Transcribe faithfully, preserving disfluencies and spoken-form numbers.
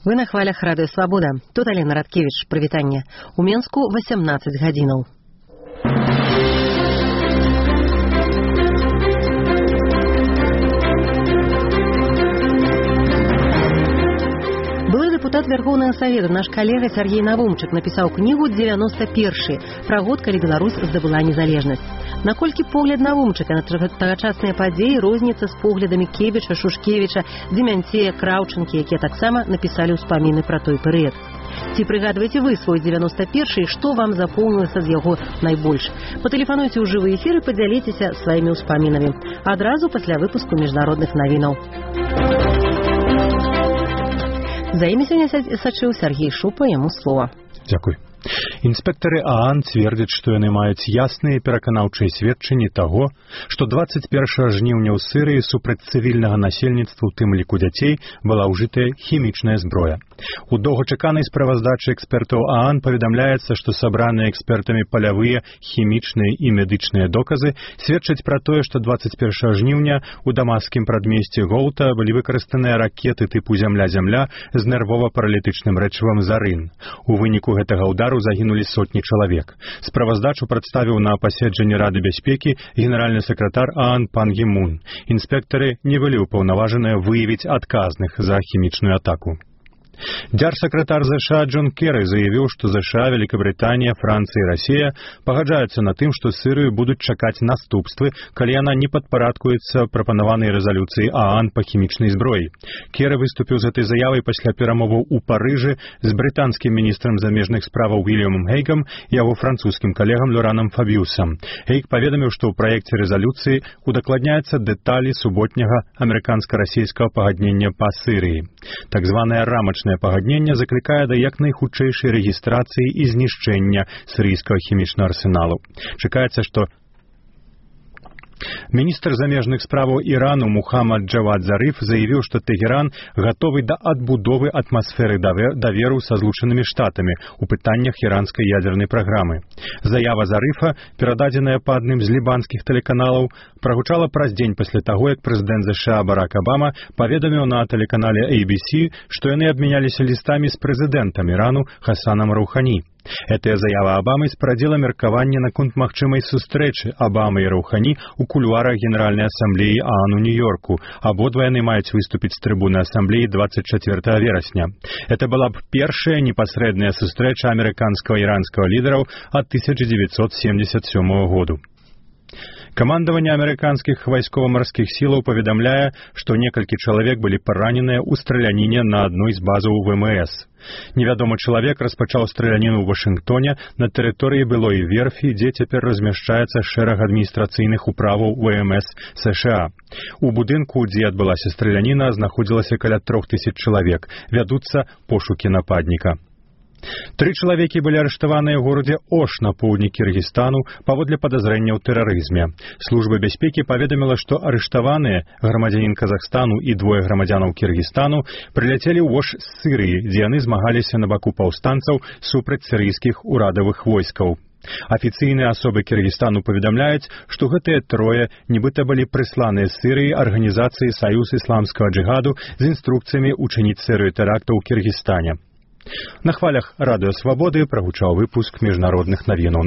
Вы на хвалях Радыё Свабода. Тут Алена Радкевіч. Прывітанне. У Менску восемнадцать гадзінаў. Былы депутат Верховного Совета, наш коллега Сергей Навумчык, написал книгу девяносто первый про год, калі Беларусь здабыла незалежнасць. Наколькі погляд Навумчыка на тагачасныя падзеі розніцца з поглядамі Кебіча, Шушкевіча, Демянцея, Краўчынкі, якія таксама напісалі ўспаміны пра той перыяд. Ці прыгадваеце вы свой девяносто первый, што вам запомнілася з яго найбольш? Патэлефануйце ў жывы эфір і падзяліцеся сваімі ўспамінамі. Адразу пасля выпуску міжнародных навінаў. За імі сёння сачыў Сергей Шупа, яму слова. Дзякуй. Інспектары ААН цвердзяць, што яны маюць ясныя пераканаўчыя сведчанні таго, што двадцать першага жніўня ў Сырыі супраць цывільнага насельніцтва, у тым ліку дзяцей, была ўжытая хімічная зброя. У доўгачаканай справаздачы экспертаў ААН паведамляецца, што сабраныя экспертамі палявыя, хімічныя і медычныя доказы сведчаць пра тое, што двадцать першага жніўня у дамаскім прадмесці Гоута былі выкарыстаныя ракеты тыпу «Зямля-Зямля» з нервова-паралітычным рэчывам «Зарын». У выніку гэтага ўдару загінулі сотні чалавек. Справаздачу прадставіў на паседжанні Рады бяспекі генеральны сакратар ААН пан Гі Мун. Інспектары не былі ўпаўнаважаныя выявіць адказных за хімічную атаку. Дзяржсакратар ЗША Джон Керры заявіў, што ЗША, Великабрытанія, Францыя і Расія пагаджаюцца на тым, што Сырыю будуць чакаць наступствы, калі яна не падпарадкуецца прапанаванай рэзалюцыі ААН па хімічнай зброі. Керры выступіў з гэтай заявай пасля перамоваў у Парыжы з брытанскім міністрам замежных справаў Уільямом Гейгам і яго французскім калегам Лоранам Фабіусам. Гейг паведаміў, што ў праекце рэзалюцыі удакладняецца дэталі суботняга амерыканска-расійскага пагаднення па Сырыі. Так званае рамачнае пагаднення заклікае да як найхутчэйшай рэгістрацыі і знішчэння сірыйскага хімічнага арсеналу. Чакаецца, што міністр замежных справаў Ірану Мухаммад Джавад Зариф заявіў, што Тэгеран гатовы да адбудовы атмасферы даверу са Злучанымі Штатамі ў пытаннях іранскай ядзернай праграмы. Заява Зарифа, перададзеная па адным з лібанскіх тэлеканалаў, прагучала праз дзень пасля таго, як прэзідэнт ЗША Барак Абама паведаміў на тэлеканале эй би си, што яны абмяняліся лістамі з прэзідэнтам Ірану Хасанам Раухані. Гэтая заява Абамы спарадзіла меркаванне наконт магчымай сустрэчы Абамы і Раухані ў кулуарах Генеральнай асамблеі ААН у Нью-Йорку. Абодва яны маюць выступіць з трыбуны асамблеі двадцать четвёртого верасня. Это была б першая непасрэдная сустрэча амерыканскага і іранскага лідараў ад тысяча девятьсот семьдесят седьмого году. Камандаванне амерыканскіх вайскова-марскіх сілаў паведамляе, што некалькі чалавек былі параненыя ў страляніне на адной з базаў ВМС. Невядомы чалавек распачаў страляніну ў Вашынгтоне на тэрыторыі былой верфі, дзе цяпер размяшчаецца шэраг адміністрацыйных управаў ВМС США. У будынку, дзе адбылася страляніна, знаходзілася каля трох тысяч чалавек. Вядуцца пошукі нападніка. Тры чалавекі былі арыштаваныя ў горадзе Ош на поўдні Кіргізстану паводле падазрэння ў тэрарызме. Служба бяспекі паведаміла, што арыштаваныя, грамадзянін Казахстану і двое грамадзянаў Кіргізстану, прыляцелі ў Ош з Сырыі, дзе яны змагаліся на баку паўстанцаў супраць сірыйскіх урадавых войскаў. Афіцыйныя асобы Кіргізстану паведамляюць, што гэтыя трое нібыта былі прысланыя з Сырыі арганізацыі Саюз ісламскага джыгаду з інструкцыямі учыніць серыю тэрактаў у Кіргізстане. На хвалях Радыё Свабоды прагучаў выпуск міжнародных навінаў.